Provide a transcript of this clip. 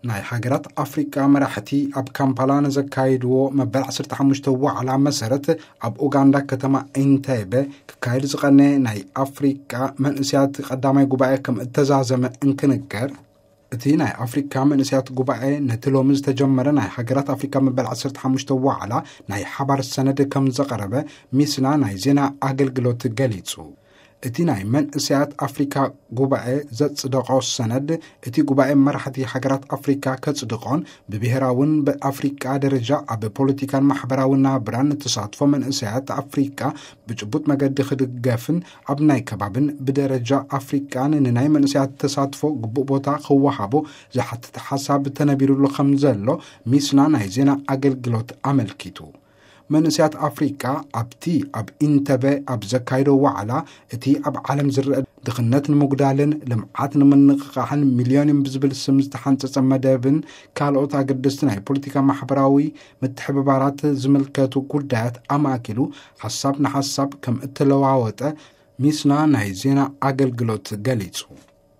ናይ ሃገራት ኣፍሪቃ መራሕቲ ኣብ ካምፓላ ንዘካይድዎ መበል ዓሰርተ ሓሙሽተ ዋዕላ መሰረት፣ ኣብ ኡጋንዳ ከተማ ኢንቴቤ ክካየድ ዝቐነ ናይ ኣፍሪቃ መንእስያት ቀዳማይ ጉባኤ ከም እተዛዘመ እንክንገር፣ እቲ ናይ ኣፍሪካ መንእስያት ጉባኤ ነቲ ሎሚ ዝተጀመረ ናይ ሃገራት ኣፍሪካ መበል ዓሰርተ ሓሙሽተ ዋዕላ ናይ ሓባር ሰነድ ከም ዘቐረበ ሚስና ናይ ዜና ኣገልግሎት ገሊጹ። እቲ ናይ መንእስያት ኣፍሪካ ጉባኤ ዘጽደቖ ሰነድ፣ እቲ ጉባኤ መራሕቲ ሃገራት ኣፍሪካ ከጽድቖን ብብሄራውን ብኣፍሪቃ ደረጃ ኣብ ፖለቲካን ማሕበራዊ ናብራን ተሳትፎ መንእስያት ኣፍሪቃ ብጭቡጥ መገዲ ክድገፍን ኣብ ናይ ከባብን ብደረጃ ኣፍሪቃን ንናይ መንእስያት ተሳትፎ ግቡእ ቦታ ክወሃቦ ዝሓትት ሓሳብ ተነቢሩሉ ከም ዘሎ ሚስና ናይ ዜና ኣገልግሎት ኣመልኪቱ። መንእስያት ኣፍሪቃ ኣብቲ ኣብ ኢንተበ ኣብ ዘካይዶ ዋዕላ፣ እቲ ኣብ ዓለም ዝረአ ድኽነት ንምጉዳልን ልምዓት ንምንቕቓሕን ሚልዮኒየም ብዝብል ስም ዝተሓንጸጸ መደብን ካልኦት ኣገደስቲ ናይ ፖለቲካ ማሕበራዊ ምትሕብባራት ዝምልከቱ ጉዳያት ኣማእኪሉ ሓሳብ ንሓሳብ ከም እተለዋወጠ ሚስና ናይ ዜና ኣገልግሎት ገሊጹ።